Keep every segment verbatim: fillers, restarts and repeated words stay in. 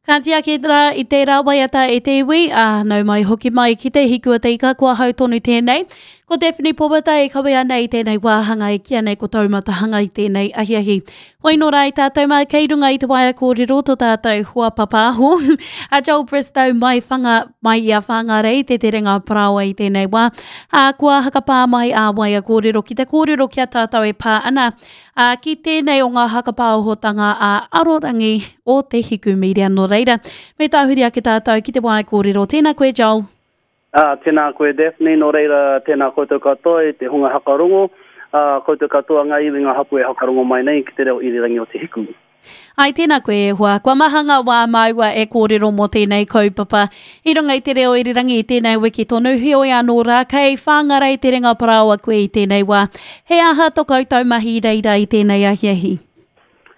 Ka tiaki rā i tērā waiata e te iwi, ā, nau mai hoki mai ki te hiku o te ika, kua hau tonu tēnei. Ko Daphne Powata e kawe ana i tēnei wāhanga e kīa nei ko Taumatahanga i tēnei ahiahi. Hoi nō rā i tātou mā kei runga i te waea kōrero tō tātou hoa papāho, a Joel Bristow mai, whanga, mai i a Whāngārei te terenga parāoa i tēnei wā. Ā, kua hakapā mai ā waea kōrero ki te kōrero ki a tātou e pā ana ā, ki tēnei o ngā hakapāohotanga ā arorangi o te Hiku Media. Nō reira, me tāhuri ake tātou ki te waea kōrero. Tēnā koe, Joel. Uh, tēnā koe, Daphne, nō reira, tēnā koutou katoa e te hunga hakarongo, uh, koutou katoa ngā iwi ngā hapu e hakarongo mai nei ki te reo irirangi o Te Hiku. Ai, tēnā koe e hoa. Kua maha ngā wā māua e kōrero mō tēnei kaupapa. I runga i te reo irirangi i tēnei wiki tonu, heoi anō rā, kei Whāngarei te ringa parāoa koe i tēnei wā. He aha tō koutou mahi reira i tēnei ahiahi?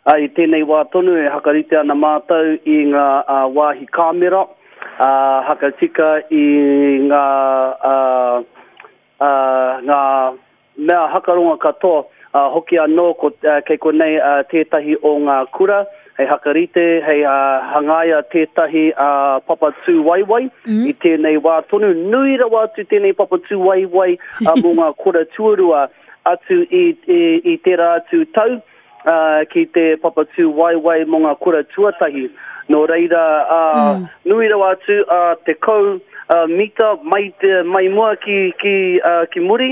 Uh, I tēnei wā tonu e hakarite ana mātou i ngā uh, wāhi kāmera, uh, hakatika i ngā, uh, uh, ngā mea hakaronga katoa, uh, hoki anō ko, uh, kei konei uh, tētahi o ngā kura, hei hakarite, hei uh, hangaia tētahi uh, papa tūwaiwai mm. i tēnei wā tonu. Nui rawa atu tēnei papa tūwaiwai uh, mō ngā kura tuarua atu i, i, i tērā atu tau uh, ki te papa tūwaiwai mō ngā kura tuatahi. Nō reira, uh, mm. nui rawa atu uh, te kau uh, mita mai, te, mai mua ki, ki, uh, ki muri,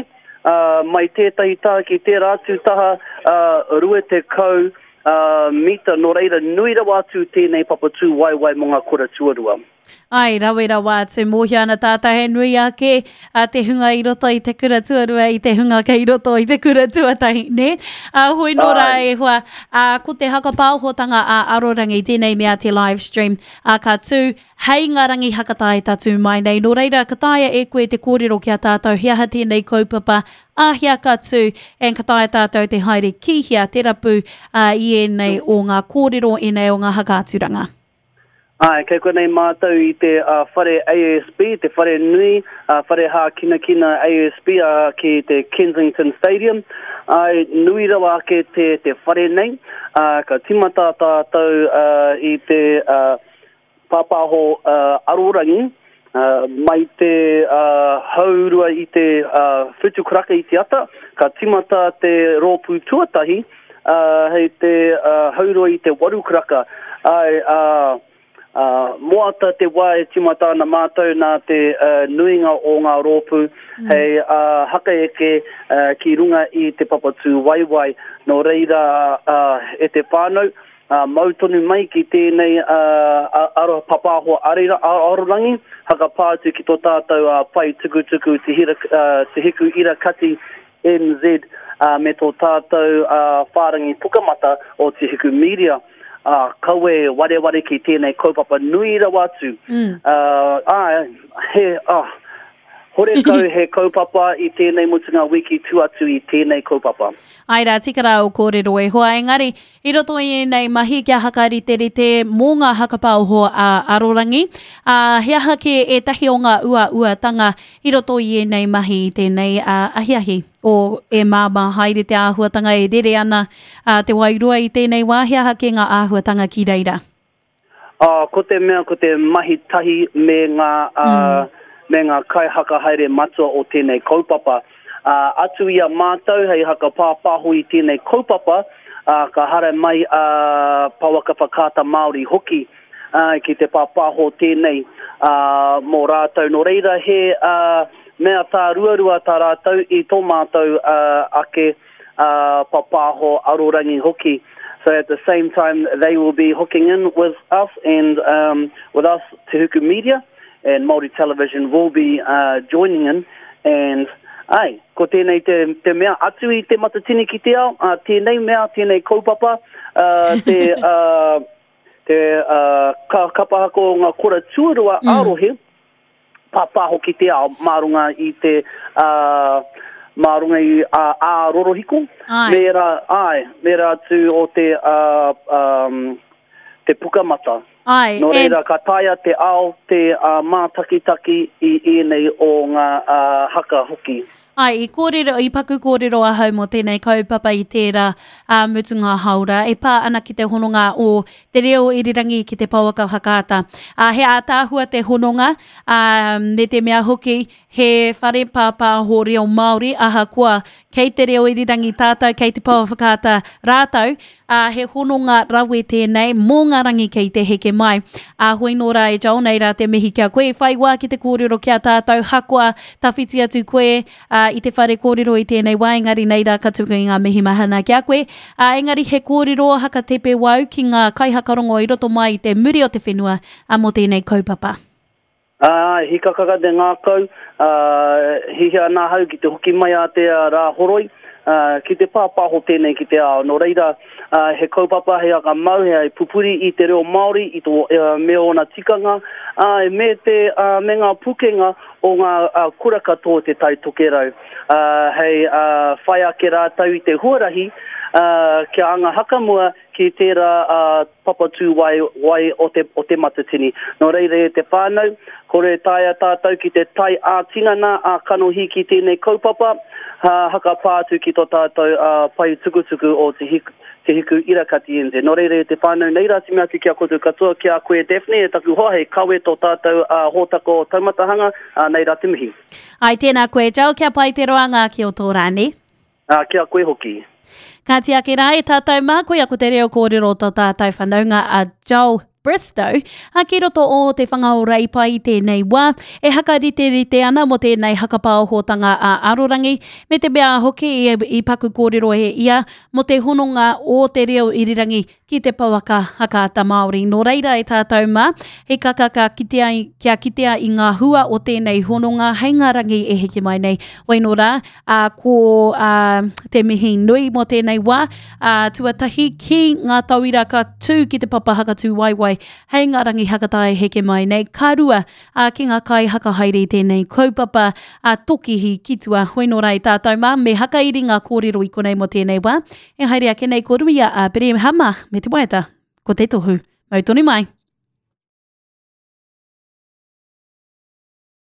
uh, mai tētahi taha ki tērā atu taha uh, rua te kau uh, mita. Nō reira, nui rawa atu tēnei papa tūwaiwai mō ngā kura tuarua. Ai, rawe rawa atu, mōhio ana tātou he nui ake a te hunga i roto i te kura tuarua, i te hunga kei roto i te kura tuatahi, ne? A, hoi nō rā e hoa, a, ko te hakapāohotanga a Arorangi, tēnei mea te live stream, a, ka tū hei ngā rangi hakatae tatū mai nei. Nō reira, ka taea e koe te kōrero ki a tātou, he aha tēnei kaupapa, āhea ka tū, and ka taea tātou te haere ki hea te rapu a, i ēnei o ngā kōrero, ēnei o ngā hakaaturanga. Ai, kei konei mātou i te uh, whare A S B, te whare nui, uh, whare hākinakina A S B uh, ki te Kensington Stadium. Ai, nui rawa ake te, te whare nei. Uh, ka timata tātou uh, i te uh, pāpāho uh, arorangi, uh, mai te uh, haurua i te uh, whitu karaka i te ata, ka timata te rōpū tuatahi uh, hei te uh, haurua i te waru karaka. Ai, uh, Uh, moata te wā e timata ana mātou nā te uh, nuinga o ngā rōpū mm. hei uh, hakaeke uh, ki runga i te papatū waiwai. Nō reira uh, e te whānau, uh, mau tonu mai ki tēnei uh, aro papāho arira, arorangi, hakapā atu ki tō tātou uh, pai tukutuku te, hira, uh, te hiku ira kati N Z uh, me tō tātou uh, whārangi pukamata o Te Hiku Media. Uh, kawe wareware ki tēnei kaupapa nui rawa atu. Mm. Uh, ah, he, ah, horekau he kaupapa i tēnei mutunga wiki tu atu i tēnei kaupapa. Ai rā, tika rā o kōrero e hoa, engari, i roto i ēnei mahi kia hakariterite mō ngā hakapāoho a arorangi, uh, he aha ke ētahi o ngā uauatanga i roto i ēnei mahi i tēnei uh, ahiahi? O e māmā haere te āhuatanga e rere ana uh, te wairua i tēnei wā, he aha ke ngā āhuatanga ki reira? Uh, ko te mea, ko te mahi tahi me ngā, uh, mm. me ngā kaihaka haere matua o tēnei kaupapa. Uh, atu i a mātou hei hakapāpāho i tēnei kaupapa, uh, ka hara mai uh, Pawaka Whakaata Māori hoki uh, ki te pāpāho tēnei uh, mō rātou. Nō reira he uh, mea tā ruarua tā rātou i tō mātou uh, ake uh, papāho arorangi hoki. So at the same time, they will be hooking in with us and um, with us, Te Huku Media, and Māori Television will be uh, joining in. And ai, ko tēnei te, te mea atu i te matatini ki te ao, uh, tēnei mea, tēnei kaupapa, uh, te, uh, te uh, ka, kapahako o ngā kura tuarua mm. arohe, pāpāho ki te ao, mā runga i te uh, mā runga i uh, ā rorohiko, me rā, ai, me rā atu o te, uh, um, te pukamata. Ai, Nō reira, ka taea te ao, te uh, mātakitaki i ēnei o ngā uh, haka hoki. Ai, i kōrero, i paku kōrero ahau mō tēnei kaupapa i tērā a mutunga haora e pā ana ki te hononga o te reo irirangi ki te pouaka whakaata. A, he ātaahua te hononga, a, me te mea hoki he whare pāpāho reo Māori, ahakoa kei te reo irirangi tātou, kei te pouaka whakaata rātou, ā, he hononga rawe tēnei mō ngā rangi kei te heke mai. Ā, hoi nō rā e Joel, nei rā te mihi ki a koe, whai wā ki te kōrero ki a tātou, hakoa tawhiti atu koe ā, i te whare kōrero i tēnei wā, engari nei rā ka tuku i ngā mihi mahana ki a koe. Ā, engari he kōrero hakatepe wau ki ngā kaihakarongo i roto mai i te muri o te whenua ā, mō tēnei kaupapa. Ā, hikakaka te ngākau, ā, hihia ana ahau ki te hoki mai a te rā horoi, ā, ki te pāpāho tēnei ki te ao. Nō reira, ā, he kaupapa, he whakamau, he pupuri i te reo Māori, i tō, me ōna tikanga, ā, me te, ā, me ngā pukenga o ngā ā, kura katoa o Te Tai Tokerau. Ā, hei ā, whai ake rātou i te huarahi, ā, kia anga hakamua ki tērā ā, papatū wai, wai o te, o te Matatini. Nō reira e te whānau, kore taea tātou ki te tae ā-tinana, ā-kanohi ki tēnei kaupapa, ha, hakapā atu ki tō tātou ā, pae tukutuku o Te Hiku, Te Hiku Irakati N Z. Nō reira e te whānau, nei rā te mea atu ki a koutou katoa, ki a koe Daphne, e taku hoa, hei kawe tō tātou ā, hōtaka o Taumatahanga, ā, nei rā te mihi. Ai, tēnā koe, Joel, kia pai te roanga ki o tō rā, nē? Ā, ki a koe hoki. Ka tiaki rā e tātou mā, koia ko te reo kōrero tō tātou whanaunga a Joel Bristow, a ki roto o te whanga o Reipa i tēnei wā, e hakariterite ana mō tēnei hakapaohotanga a Arorangi, me te mea hoki i, i paku kōrero e ia mō te hononga o te reo irirangi ki te pouaka hakaata Māori. Nō reira e tātou mā, he kakaka kitea, kia kitea i ngā hua o tēnei hononga hei ngā rangi e heke mai nei. Wai nō rā, a, ko a, te mihi nui mō tēnei wā, a, tuatahi ki ngā tauira ka tū ki te papa hakatū waiwai hei ngā rangi hakatae heke mai nei. Ka rua, a, ki ngā kai hakahaere i tēnei kaupapa a Tokihi ki tua. Hoi nō rā e tātou mā, me hakairi ngā kōrero i konei mō tēnei wā. E haere ake nei ko Ruia a Berehama me te waiata, ko te tohu. Mau tonu mai.